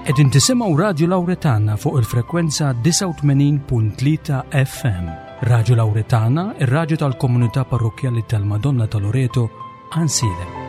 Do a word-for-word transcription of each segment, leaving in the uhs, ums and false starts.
Qegħdin tisimgħu Radju Lawretana fuq il-frekwenza disgħa u tmenin punt tlieta F M. Radju Lawretana, ir-radju tal-Komunità Parrokkjali tal-Madonna ta' Loreto, Għajnsielem.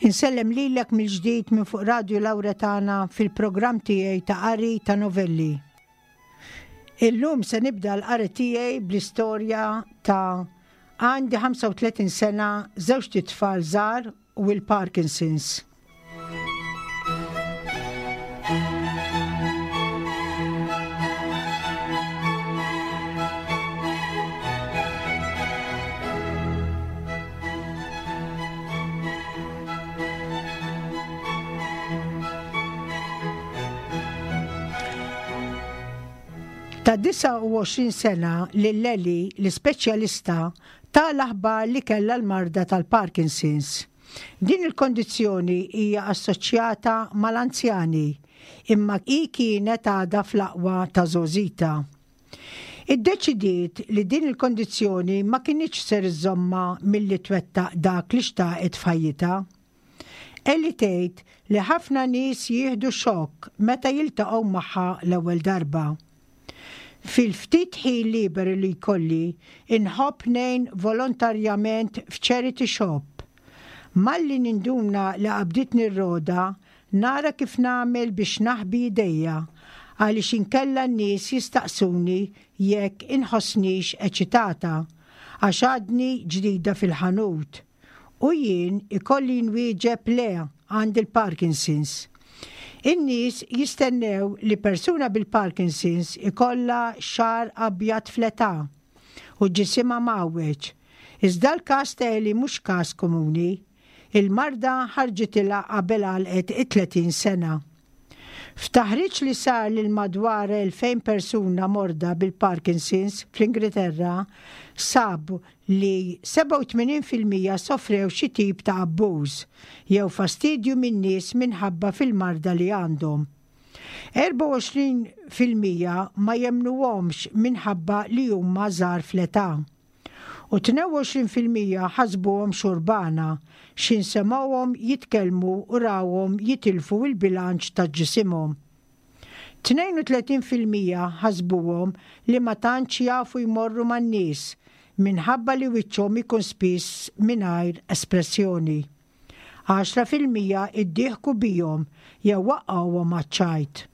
Insellem lilek mill-ġdid minn fuq Radio Lawretana fil-programm tiegħi ta' qari ta' novelli. Illum se nibda l-qari tiegħi bl-istorja ta' għandi ħamsa u tletin sena, żewġt itfal żgħar u l-Parkinson's. Ta' disgħa u għoxrin sena lil Eli l-ispeċjalista ta l-aħbar li kellha l-marda tal-Parkinson's. Din il-kondizzjoni hija assoċjata mal-anzjani, imma hi kienet għadha fl-aqwa ta' żgħożitha. Iddeċidiet li din il-kondizzjoni ma kinitx ser iżżommha milli twettaq dak li xtaqet f'ħajjitha. Eli tgħid li ħafna nies jieħdu xokk meta jiltaqgħu magħha l-ewwel darba. Fil-ftit ħin liberu li jkolli, inħobb ngħin volontarjament f'charity shop. Malli ninduna li qabditni r-rogħda, nara kif nagħmel biex naħbi idejja, għaliex inkella n-nies jistaqsuni jekk inħossnix eċitata, għax għadni ġdida fil-ħanut. U jien ikolli nwieġeb le, għandi l-Parkinson's. In-nies jistennew li persuna bil-Parkinson's ikollha xagħar abjad fl-età u ġisimha mgħawweġ. Iżda l-każ ta' Eli mhux każ komuni. Il-marda ħarġitilha qabel għalqet it-tletin sena. F'taħriġ li sar lil madwar elfejn persuna morda bil-Parkinson's fl-Ingilterra, sabu li sebgħa u tmenin fil-mija sofrew xi tip ta' abbuż jew fastidju minn nies minħabba fil-marda li għandhom. erbgħa u għoxrin fil-mija ma jemmnuhomx minħabba li huma żgħar fl-età. U tnejn u għoxrin fil-mija ħasbuhom xurbana x'ħin semgħuhom jitkellmu u rawhom jitilfu il-bilanċ ta' ġisimhom. tnejn u tletin fil-mija ħasbuhom li ma tantx jafu jmorru man-nies minħabba li wiċċhom ikun spiss mingħajr espressjoni. għaxra fil-mija iddieħku bihom jew waqqgħuhom għaċ-ċajt.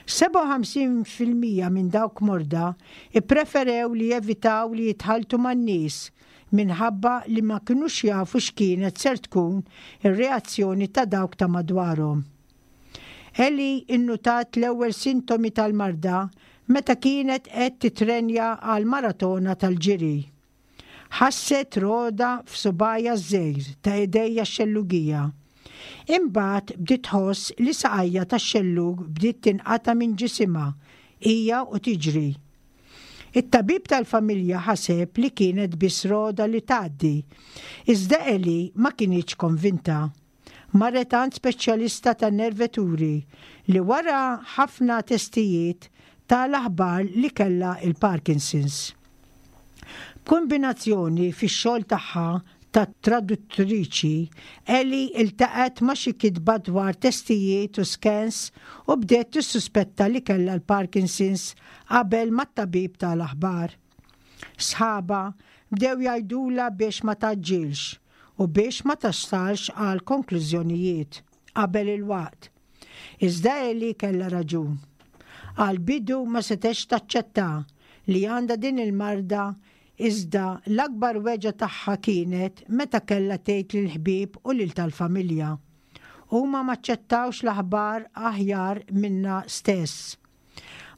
sebgħa u ħamsin fil-mija minn dawk morda ippreferew li jevitaw li jitħaltu man-nies minħabba li ma kinux jafu x'kienet ser tkun ir-reazzjoni ta' dawk ta' madwarhom. Eli innutat l-ewwel sintomi tal-marda meta kienet qed titrenja għal maratona tal-ġiri. Ħasset rogħda f'subgħajha ż-żgħir ta' idejha x-xellugija. Imbagħad bdiet tħoss li saqajha tax-xellug bdiet tinqata' minn ġisimha hija u tiġri. It-tabib tal-familja ħaseb li kienet biss rogħda li tgħaddi, iżda Eli ma kinitx konvinta. Marret għand speċjalista tan-nerveturi li wara ħafna testijiet ta l-aħbar li kellha il-Parkinson's. B'kombinazzjoni, fix-xogħol tagħha ta' traduttriċi, Eli iltaqgħet ma' xi kitba dwar testijiet u scans u bdiet tissuspetta li kellha l-Parkinson's qabel mat-tabib ta l-aħbar. Sħabha bdew jgħidulha biex ma tgħaġġilx u biex ma tasalx għal konklużjonijiet qabel il-waqt. Iżda Eli kellha raġun. Għal bidu ma setgħetx taċċetta li għandha din il-marda. Iżda l-akbar weġgħa tagħha kienet meta kellha tgħid lill-ħbieb u lil tal-familja. Huma maċċettawx l-aħbar aħjar minnha stess.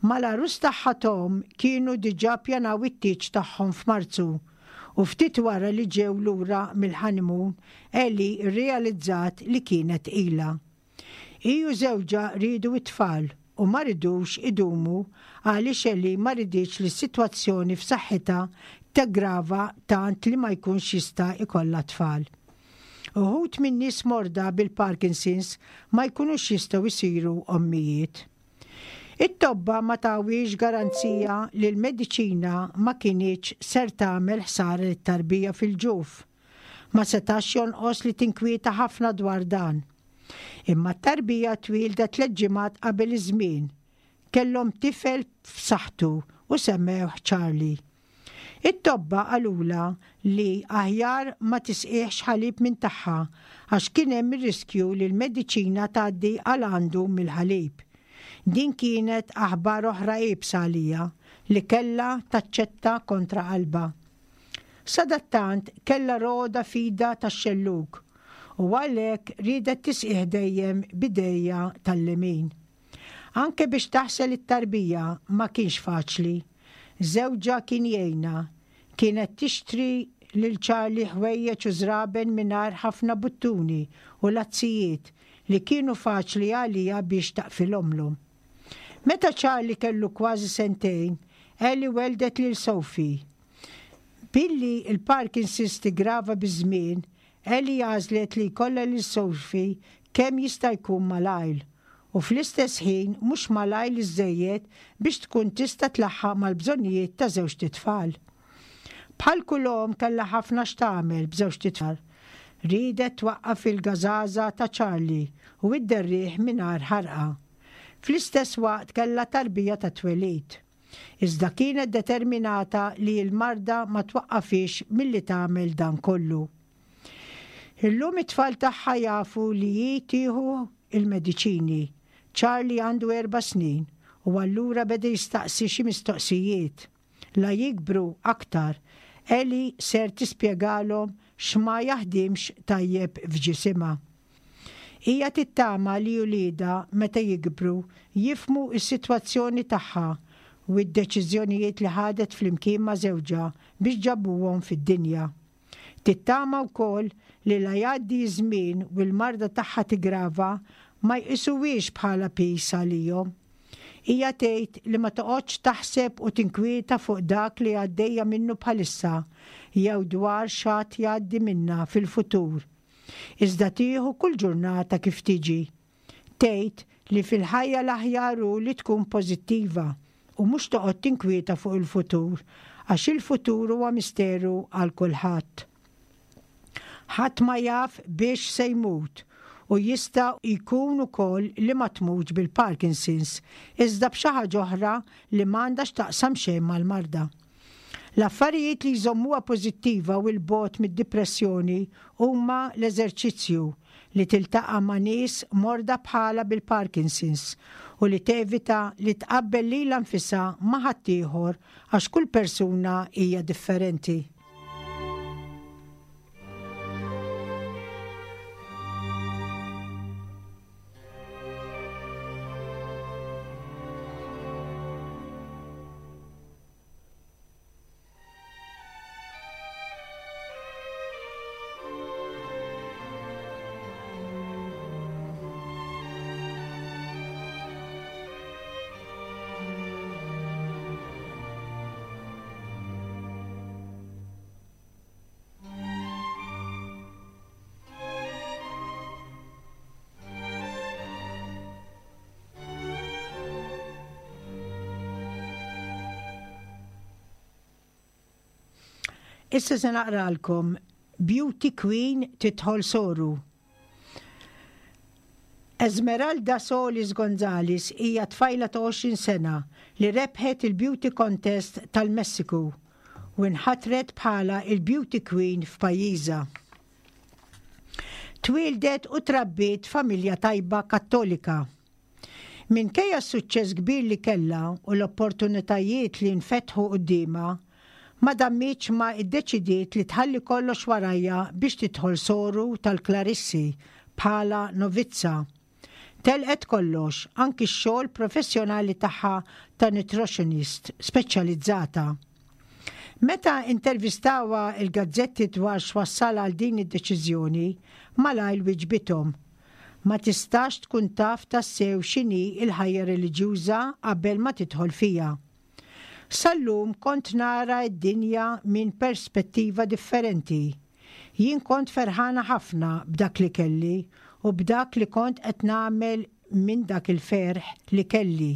Mal-għarus tagħha Tom kienu diġà pjanaw it-tieġ tagħhom f'Marzu u ftit wara li ġew lura mill-honeymoon Ellie rrealizzat li kienet tqila. Hi u żewġha riedu it-tfal u ma ridux idumu għaliex Ellie ma riditx li s-sitwazzjoni f'saħħitha tiggrava tant li ma jkunx jista' jkollha tfal. Uħud minn nies morda bil-Parkinson's ma jkunux jistgħu jsiru ommijiet. It-tobba ma tawhiex garanzija li l-mediċina ma kinitx ser tagħmel ħsara lit-tarbija fil-ġuf. Ma setax jonqos li tinkwieta ħafna dwar dan. Imma t-tarbija twieldet tliet ġimgħat qabel iż-żmien. Kellhom tifel f'saħħtu u semmewh Charlie. It-tobba qalulha li aħjar ma tisqihx ħalib minn tagħha għax kien hemm ir-riskju li l-mediċina tgħaddi għal għandu mill-ħalib. Din kienet aħbar oħra iebsa għaliha li kellha taċċetta kontra qalbha. Sadattant kellha roda f'idha tax-xellug u għalhekk riedet tisqih dejjem b'idejha tal-lemin. Anke biex taħsel it-tarbija ma kienx faċli. Żewġha kien jgħinha. Kienet tixtri lil Charlie ħwejjeġ u żraben mingħajr ħafna buttuni u lazzijiet li kienu faċli għaliha biex taqfilhomlu. Meta Charlie kellu kważi sentejn, Ellie weldet lil Sophie. Billi il-Parkinson's tigrava biż-żmien, Ellie għażlet li jkollha lil Sophie kemm jista' jkun malajr u fl-istess ħin mhux malajr iżżejjed biex tkun tista' tlaħħaq mal-bżonnijiet ta' żewġt itfal. Bħal kull omm kellha ħafna x'tagħmel b'żewġt itfal. Riedet twaqqaf il-gażaża ta' Charlie u idderrih mingħajr ħarqa. Fl-istess waqt kellha tarbija ta' twelid. Iżda kienet determinata li l-marda ma twaqqafhiex milli tagħmel dan kollu. Illum it-tfal tagħha jafu li hi tieħu il-mediċini. Charlie għandu erba' snin u allura beda jistaqsi xi mistoqsijiet. La jikbru aktar, Ellie ser tispjegalhom x'ma jaħdimx tajjeb f'ġisimha. Hija tittama li uliedha meta jikbru jifhmu s-sitwazzjoni tagħha u d-deċiżjonijiet li ħadet flimkien ma' żewġha biex ġabuhom fid-dinja. Tittama wkoll li la jgħaddi żmien u l-marda tagħha tigrava ma jqisuhiex bħala piż għalihom. Hija tgħid li ma toqgħodx taħseb u tinkwieta fuq dak li għaddejja minnu bħalissa jew dwar x'għad jgħaddi minnha fil-futur. Iżda tieħu kull ġurnata kif tiġi. Tgħid li fil-ħajja l-aħjar hu li tkun pożittiva u mhux toqgħod tinkwieta fuq il-futur għax il-futur huwa misteru għal kulħadd. Ħadd ma jaf biex se jmut u jista' jkun ukoll li ma tmutx bil-Parkinson's, iżda b'xi ħaġa oħra li m'għandha x'taqsam xejn mal-marda. L-affarijiet li jżommuha pożittiva u 'l bogħod mid-depressjoni huma l-eżerċizzju li tiltaqa' ma' nies morda bħalha bil-Parkinson's u li tevita li tqabbel lilha nfisha ma' ħaddieħor għax kull persuna hija differenti. Issa se naqralkom Beauty Queen tidħol soru. Esmeralda Solis Gonzalez hija tfajla ta' għoxrin sena li rebħet il-Beauty Contest tal-Messiku u nħatret bħala il-Beauty Queen f'pajjiżha. Twildet u trabbiet familja tajba Kattolika. Minkejja s-suċċess kbir li kellha u l-opportunitajiet li nfetħu quddiemha, Ma dammitx ma iddeċidiet li tħalli kollox warajha biex tidħol soru tal-Klarissi bħala novizza. Telqet kollox, anki x-xogħol professjonali tagħha ta' nutritionist speċjalizzata. Meta intervistawha il-gazzetti dwar x'wassal għal din id-deċiżjoni, malajr wiġbithom. Ma tistax tkun taf tassew x'inhi il-ħajja reliġjuża qabel ma tidħol fiha. Sal-lum kont nara d-dinja minn perspettiva differenti. Jien kont ferħana ħafna b'dak li kelli u b'dak li kont qed nagħmel minn dak il-ferħ li kelli.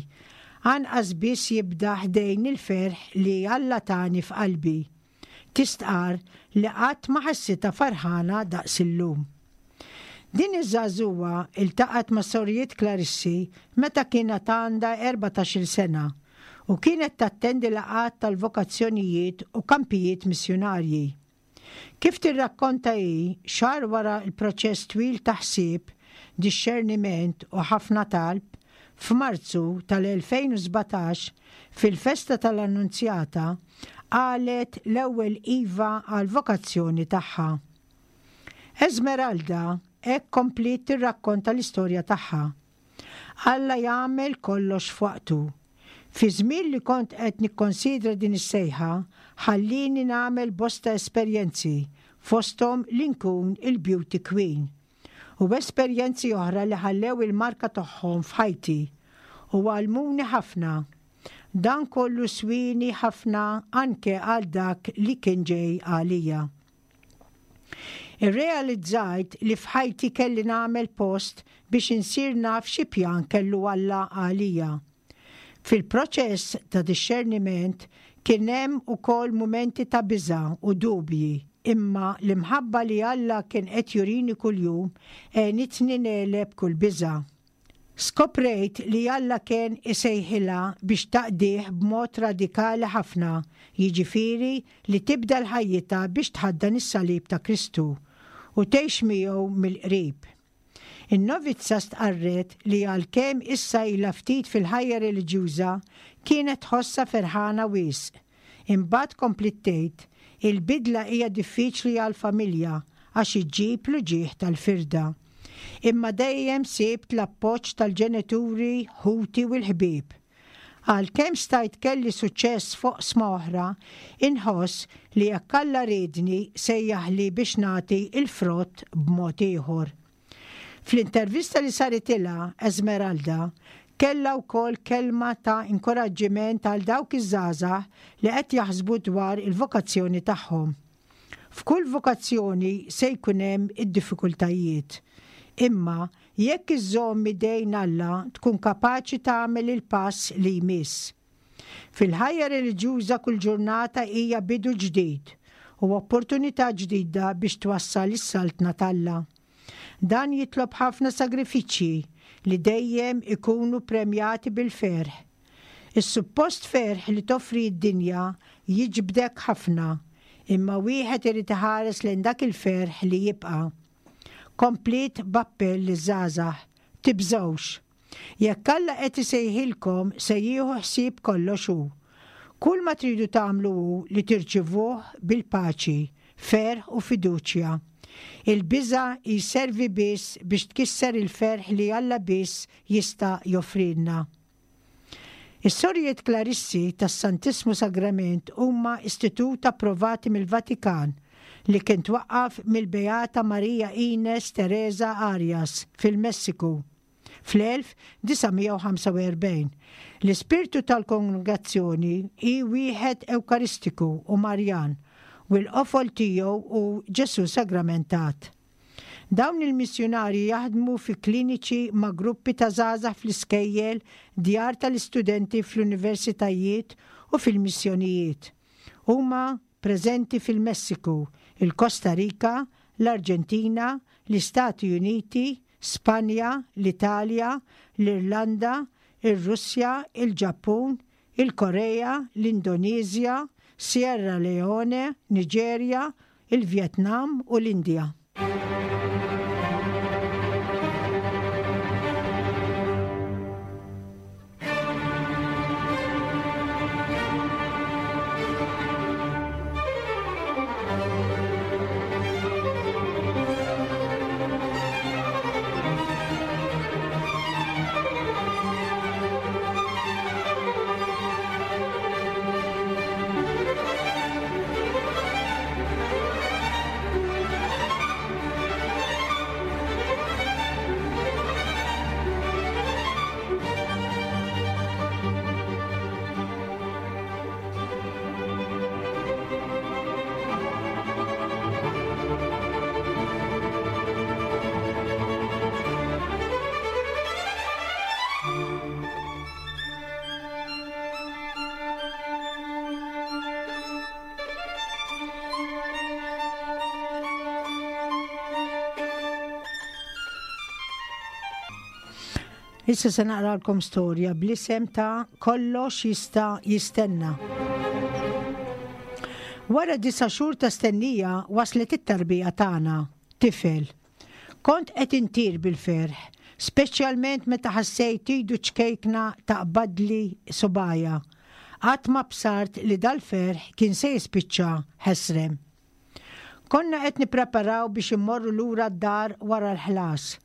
Anqas biss jibda ħdejn il-ferħ li Alla tani f'qalbi. Tistqar li qatt ma ħassitha ferħana daqs illum. Din iż-żagħżugħa iltaqgħet ma' sorijiet Klarissi meta kienet għandha erbatax-il sena u kienet tattendi laqgħat tal-vokazzjonijiet u kampijiet missjunarji. Kif tirrakkonta hi, xahar wara l-proċess twil ta' ħsieb, dixxerniment u ħafna talb, f'Marzu tal-elfejn u sbatax, fil-festa tal-Annunzjata, qalet l-ewwel iva għal-vokazzjoni tagħha. Esmeralda hekk kompliet tirrakkonta l-istorja tagħha. Alla jagħmel kollox f'waqtu. Fi żmien li kont qed nikkonsidra din is-sejħa, ħallini nagħmel bosta esperjenzi, fosthom li nkun il-Beauty Queen. U esperjenzi oħra li ħallew il-marka tagħhom f'ħajti u għallmuni ħafna. Dan kollu swini ħafna anke għal dak li kien ġej għalija. Irrealizzajt li f'ħajti kelli nagħmel post biex insir naf xi pjan kellu Alla għalija. Fil-proċess ta' dixxerniment kien hemm ukoll mumenti ta' biża' u dubji, imma l-imħabba li Alla kien qed jurini kuljum għenitni negħleb kull biża'. Skoprejt li Alla kien isejħilha biex taqdih b'mod radikali ħafna, jiġifieri li tibda l-ħajjitha biex tħaddan is-salib ta' Kristu u tgħix miegħu mill-qrib. In-novizza stqarret li għalkemm issa ilha ftit fil-ħajja reliġjuża kienet tħossha ferħana wisq. Imbagħad kompliet tgħid, il-bidla hija diffiċli għall-familja għax iġġib l-uġigħ tal-firda. Imma dejjem sibt l-appoġġ tal-ġenituri, ħuti u l-ħbieb. Għalkemm stajt kelli suċċess fuq sma oħra, inħoss li jekk Alla riedni sejjaħli biex nagħti il-frott b'mod ieħor. Fl-intervista li saritilha Esmeralda, kellha wkoll kelma ta' inkoraġġiment għal dawk iż-żgħażagħ li qed jaħsbu dwar il-vokazzjoni tagħhom. F'kull vokazzjoni se jkun hemm id-diffikultajiet. Imma jekk iżżomm idejn Alla tkun kapaċi tagħmel il-pass li jmiss. Fil-ħajja reliġjuża kull ġurnata hija bidu ġdid u opportunità ġdida biex twassal is-saltna t'Alla. Dan jitlob ħafna sagrifiċċji li dejjem ikunu premjati bil-ferħ. Is-suppost ferħ li toffri d-dinja jiġbdek ħafna, imma wieħed irid iħares lejn dak il-ferħ li jibqa'. Komplit b'appell liż-żgħażagħ, tibżgħux. Jekk Alla qed isejħilkom se jieħu ħsieb kollox hu. Kull ma tridu tagħmlu hu li tirċivuh bil-paċi, ferħ u fiduċja. Il-biża' jservi biss biex tkisser il-ferħ li Alla biss jista' joffrilna. Is-Sorijiet Klarissi tas-Santissmu Sagrament huma istitut approvati mill-Vatikan li kien twaqqaf mill-Beata Maria Ines Teresa Arias fil-Messiku fl-elf disa' mija u ħamsa u erbgħin. L-ispirtu tal-kongregazzjoni hi wieħed Ewkaristiku u Marjan u l-qofol tiegħu hu Ġesu Sagramentat. Dawn il-missjunarji jaħdmu fi kliniċi ma' gruppi ta' żgħażagħ fl-iskejjel, djar tal-istudenti fl-universitajiet u fil-missjonijiet. Huma preżenti fil-Messiku, il-Kosta Rika, l-Arġentina, l-Istati Uniti, Spanja, l-Italja, l-Irlanda, ir-Russja, il-Ġappun, il-Korea, l-Indoneżja, Sierra Leone, Niġerja, il-Vjetnam u l-Indja. Issa se naqralkom storja bl-isem ta' Kollox jista' jistenna. Wara disa' xhur ta' stennija waslet it-tarbija tagħna, tifel. Kont qed intir bil-ferħ, speċjalment meta ħassejt idu ċkejkna taqbadli subgħajja. Qatt ma bsart li dal-ferħ kien se jispiċċa ħesrem. Konna qed nippreparaw biex immorru lura d-dar wara l-ħlas.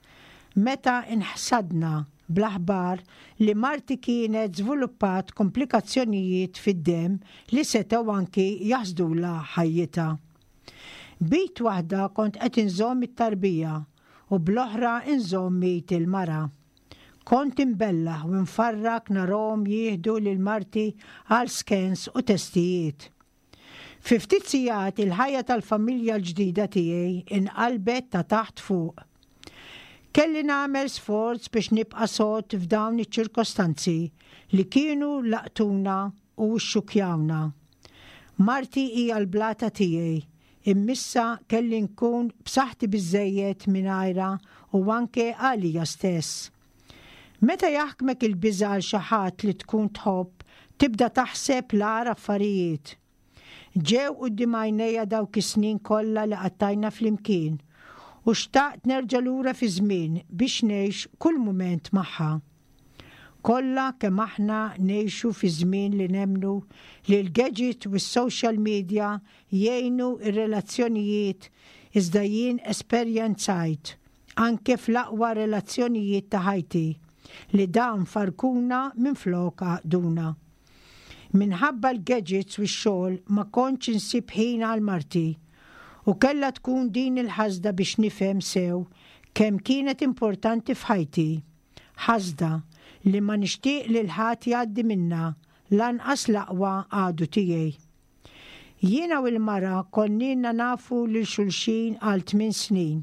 Meta inħsadna bl-aħbar li marti kienet żviluppat komplikazzjonijiet fid-demm li setgħu anki jaħsdula ħajjitha. B'id waħda kont qed inżomm it-tarbija u bl-oħra inżomm id il-mara. Kont imbellah u nfarrak narahom jieħdu lil marti għal scans u testijiet. Fi ftit sigħat il-ħajja tal-familja l-ġdida tiegħi inqalbet ta' taħt fuq. Kelli nagħmel sforz biex nibqa' sod f'dawn iċ-ċirkostanzi li kienu laqtuna u xxukjawna. Marti hija l-blata tiegħi, imma issa kelli nkun b'saħħti biżejjed mingħajrha u anke għalija stess. Meta jaħkmek il-biża' għal xi ħadd li tkun tħobb, tibda taħseb l-agħar affarijiet. Ġew quddiem għajnejja dawk is-snin kollha li qattajna flimkien u xtaqt nerġa' lura fi żmien biex ngħix kull mument magħha. Kollha kemm aħna ngħixu fi żmien li nemmnu li l-gadget u s-social media jgħinu ir-relazzjonijiet, iżda jien esperjenzajt anke fl-aqwa relazzjonijiet ta' ħajti li dawn farkuna minflok għaqduna. Minħabba l-gadgets u x-xogħol ma kontx insib ħin għal marti u kellha tkun din il-ħasda biex nifhem sew kemm kienet importanti f'ħajti. Ħasda li ma nixtieq lil ħadd jgħaddi minna, lanqas l-aqwa għadu tiegħi. Jiena u l-mara konna nafu lil xulxin għal tmien snin.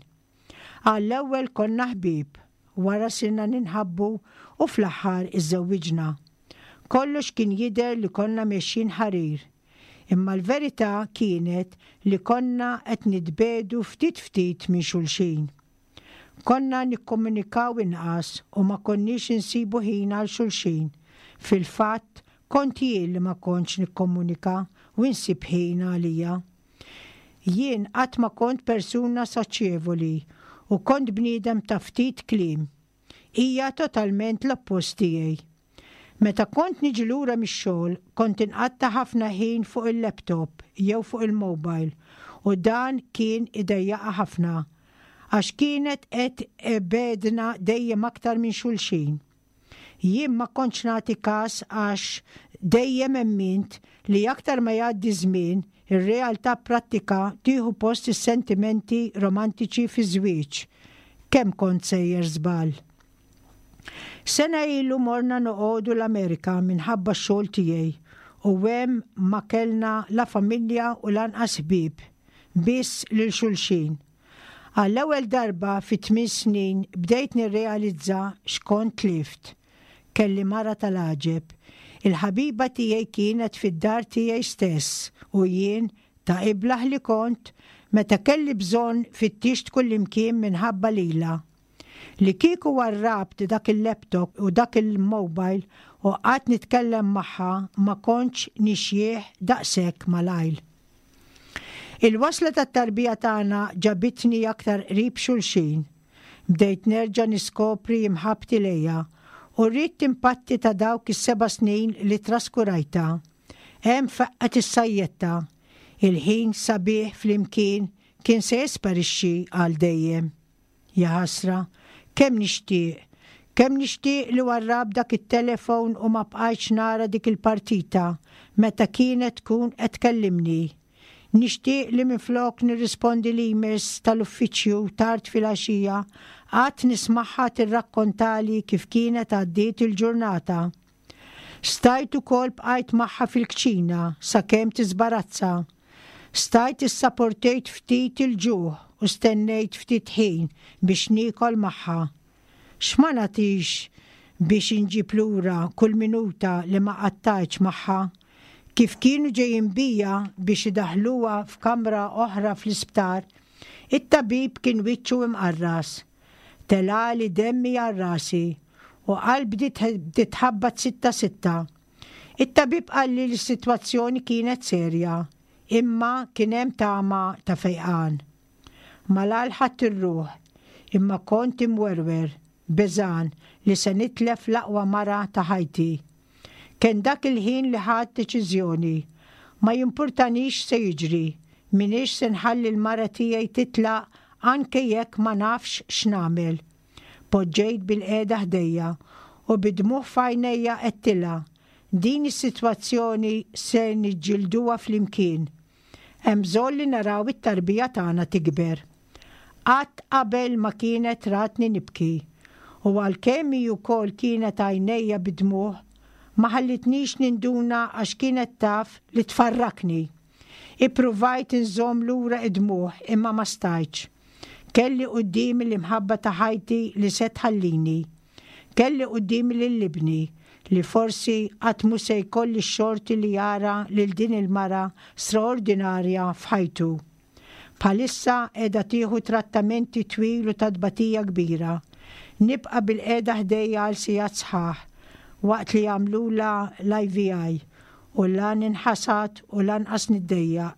Għall-ewwel konna ħbieb, wara sirna ninħabbu u fl-aħħar iżżewwiġna. Kollox kien jidher li konna mexjin ħarir. Imma l-verità kienet li konna qed nitbiegħdu ftit ftit minn xulxin. Konna nikkomunikaw inqas u ma konniex insibu ħin għal xulxin. Fil-fatt, kont jien li ma kontx nikkomunika u nsib ħin għalija. Jien qatt ma kont persuna soċjevoli u kont bniedem ta' ftit kliem. Hija totalment l-oppost tiegħi. Meta kont niġi lura mix-xogħol, kont inqatta' ħafna ħin fuq il-laptop jew fuq il-mobile u dan kien idejjaqha ħafna għax kienet qed tbegħedna dejjem aktar minn xulxin. Jien ma kontx nagħti każ għax dejjem emmint li aktar ma jgħaddi żmien, ir-realtà prattika tieħu post is-sentimenti romantiċi fi żwieġ. Kemm kont sejjer żball. Sena ilu morna noqogħdu l-Amerika minħabba x-xogħol tiegħi u hemm ma kellna la familja u lanqas ħbieb, biss lil xulxin. Għall-ewwel darba fi tmien snin bdejt nirrealizza x'kont tlift. Kelli mara tal-għaġeb. Il-ħabiba tiegħi kienet fid-dar tiegħi stess u jien ta' iblaħ li kont meta kelli bżonn fittixt kullimkien minħabba lilha. Li kieku warrabt dak il-laptop u dak il-mobile u qatt nitkellem magħha ma kontx nixjieħ daqshekk malajr. Il-wasla tat-tarbija tagħna ġabitni aktar qrib xulxin. Bdejt nerġa' niskopri imħabbti lejha u rrid impatti ta' dawk is-seba' snin li traskurajta. Hemm faqqgħet is-sajjetta. Il-ħin sabiħ flimkien kien se jesparixxi għal dejjem. Ja ħasra, kemm nixtieq, kemm nixtieq li warrabt dak it-telefon u ma bqajtx nara dik il-partita meta kienet tkun qed tkellimni. Nixtieq li minflok nirrispondi l-emails tal-uffiċċju tard filgħaxija, qatt nismagħha tirrakkontali kif kienet għaddiet il-ġurnata. Stajt ukoll bqajt magħha fil-kċina sakemm tiżbarazza. Stajt issaportejt ftit il-ġuħ u stennejt ftit ħin biex niekol magħha. X'ma nagħtix biex inġib lura kull minuta li ma qattajtx magħha? Kif kienu ġejjin bija biex idaħluha f'kamra oħra fl-isptar, it-tabib kien wiċċu imqarras. Telagħli demmi għal rasi u qalbi bdiet tħabbat sitta sitta. It-tabib qalli li s-sitwazzjoni kienet serja, imma kien hemm tama ta' fejqan. Malajr ħadt ir-ruħ, imma kont imwerwer, beżgħan li se nitlef l-aqwa mara ta' ħajti. Kien dak il-ħin li ħadt deċiżjoni. Ma jimpurtanix se jiġri, m'iniex se nħalli l-mara tiegħi titlaq anke jekk ma nafx x'nagħmel. Poġġejt bilqiegħda ħdejja u bid-dmugħ f'għajnejja għedtilha din is-sitwazzjoni se niġġilduha flimkien. Hemm bżonn li naraw it-tarbija tagħna tikber. Qatt qabel ma kienet ratni nibki u għalkemm hi wkoll kienet għajnejha bid-dmugħ, ma ħallitnix ninduna għax kienet taf li tfarrakni. Ippruvajt inżomm lura id-dmugħ imma ma stajtx. Kelli quddiemi l-imħabba ta' ħajti li se tħallini. Kelli quddiemi lil ibni li forsi qatt mhu se jkolli x-xorti li jara lil din il-mara straordinarja f'ħajtu. Bħalissa qiegħda tieħu trattamenti twil u ta' tbatija kbira. Nibqa' bilqiegħda ħdejha għal sigħat sħaħ waqt li jagħmlulha l-I V I u la ninħasad u lanqas niddejjaq.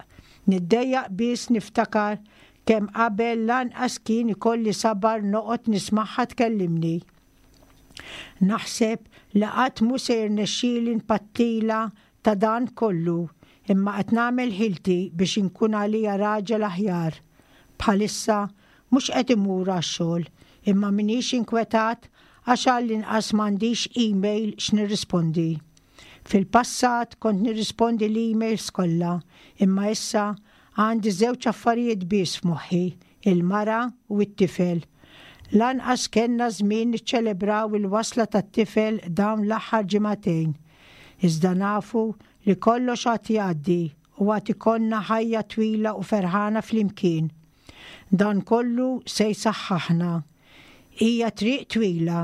Niddejjaq biss niftakar kemm qabel lanqas kien ikolli sabar noqgħod nismagħha tkellimni. Naħseb li qatt mhu se jirnexxieli npattilha ta' dan kollu, imma qed nagħmel ħilti biex inkun għalija raġel aħjar. Bħalissa mhux qed imur għax-xogħol, imma m'iniex inkwetat għax għall-inqas m'għandix email x'nirrispondi. Fil-passat kont nirrispondi l-emails kollha, imma issa għandi żewġ affarijiet biss f'moħħi, il-mara u t-tifel. Lanqas kellna żmien niċċelebraw il-wasla tat-tifel dawn l-aħħar ġimagħtejn. Iżda nafu li kollox għad jgħaddi u għad ikollna ħajja twila u ferħana flimkien. Dan kollu se jsaħħaħna. Hija triq twila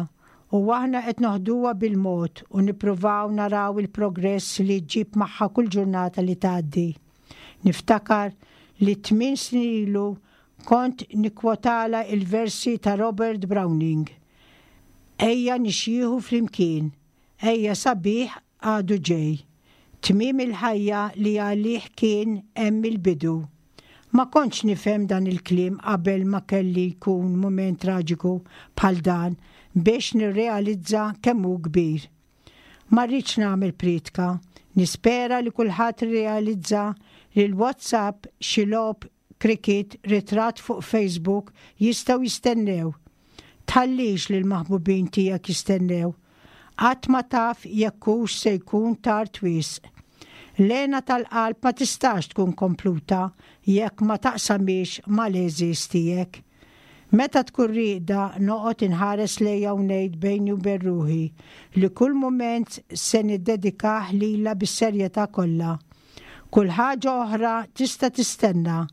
u aħna qed noħduha bil-mod u nippruvaw naraw il-progress li ġġib magħha kull ġurnata li tgħaddi. Niftakar li tmien snin ilu kont nikkwotalha il-versi ta' Robert Browning. "Ejja nixjieħu flimkien, ejja sabiħ għadu ġej. Tmiem il-ħajja li għalih kien hemm il-bidu." Ma kontx nifhem dan il-kliem qabel ma kelli jkun moment traġiku bħal dan biex nirrealizza kemm hu kbir. Ma rridx nagħmel priedka, nispera li kulħadd realizza li l-WhatsApp, xi logħob cricket, ritratt fuq Facebook jistgħu jistennew. Tħallix li l-maħbubin tiegħek jistennew. Qatt ma taf jekk hux se jkun tard wisq. L-hena tal-qalb ma tistax tkun kompluta jekk ma taqsamhiex mal-għeżież tiegħek. Meta tkun rieqda noqgħod inħares lejha u ngħid bejni u bejn ruħi li kull mument se niddedikah lilha bis-serjetà kollha. Kull ħaġa oħra tista' tistenna,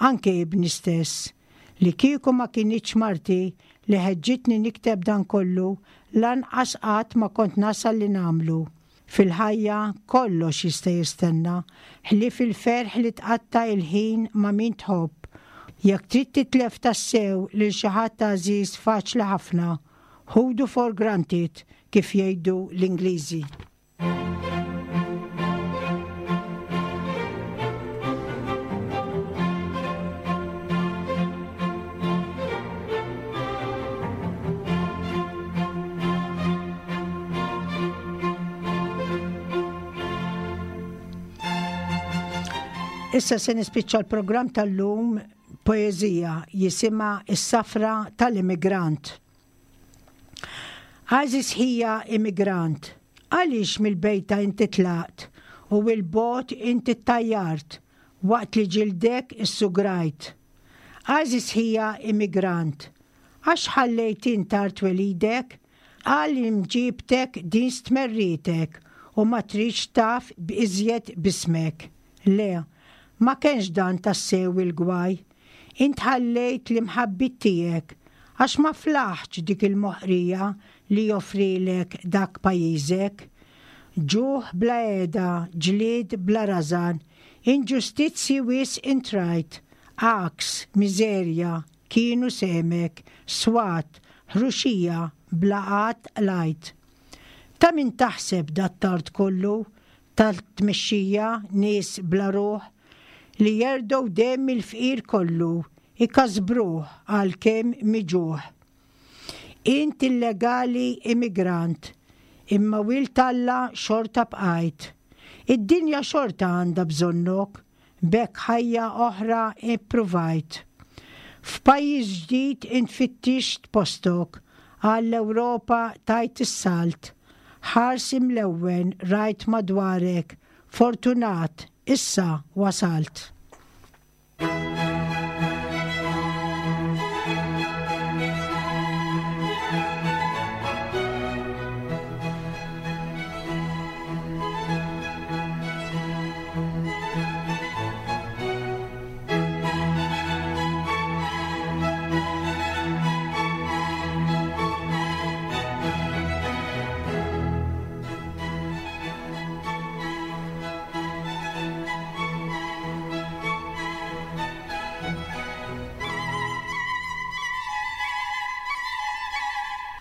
anke ibni stess. Li kieku ma kinitx marti li ħeġġitni nikteb dan kollu, lanqas qatt ma kont nasal li nagħmlu. Fil-ħajja kollox jista' jistenna, ħlief il-ferħ li tqatta' il-ħin ma' min tħobb. Jekk trid titlef tassew lil xi ħadd għażiż, faċli ħafna. Ħudu for granted, kif jgħidu l-Ingliżi. Issa se nispiċċa l-programm tal-lum poeżija jisimha "Is-Safra tal-Immigrant". Għażiż ħija immigrant, għaliex mill-bejta inti tlaqt u 'l bogħod inti ttajjart waqt li ġildek issugrajt? Għażiż ħija immigrant, għax ħallejt int art twelidek, għal imġibtek din stmerritek u ma tridx taf b'iżjed b'ismek? Le, ma kienx dan tassew il-gwaj. Int ħallejt l-imħabbiet tiegħek għax ma flaħtx dik il-moħqrija li joffrilek dak pajjiżek. Ġuħ bla heda, ġlied bla rażan, inġustizzi wisq int rajt, għaks, miżerja, kienu sehmek, swat, ħruxija, bla qatt qlajt. Ta' min taħseb dat-tard kollu tal-tmexxija nies bla ruħ li jerdgħu demm il-fqir kollu ikasbruh għalkemm miġugħ. Int illegali immigrant, imma wild Alla xorta bqajt. Id-dinja xorta għandha bżonnok, b'hekk ħajja oħra ippruvajt. F'pajjiż ġdid int fittixt postok, għall-Ewropa tajt is-salt. Ħars imlewwen rajt madwarek, fortunat, issa wasalt.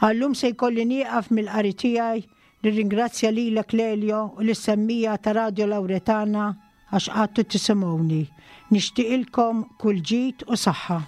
Għal-lum se jkolli nieqaf mill-qari tiegħi, nirringrazzja lilek Lelio u lis-semmiegħa ta' Radio Lauretana għax qgħadtu tisimgħuni. Nixtieqilkom kull ġid u saħħa.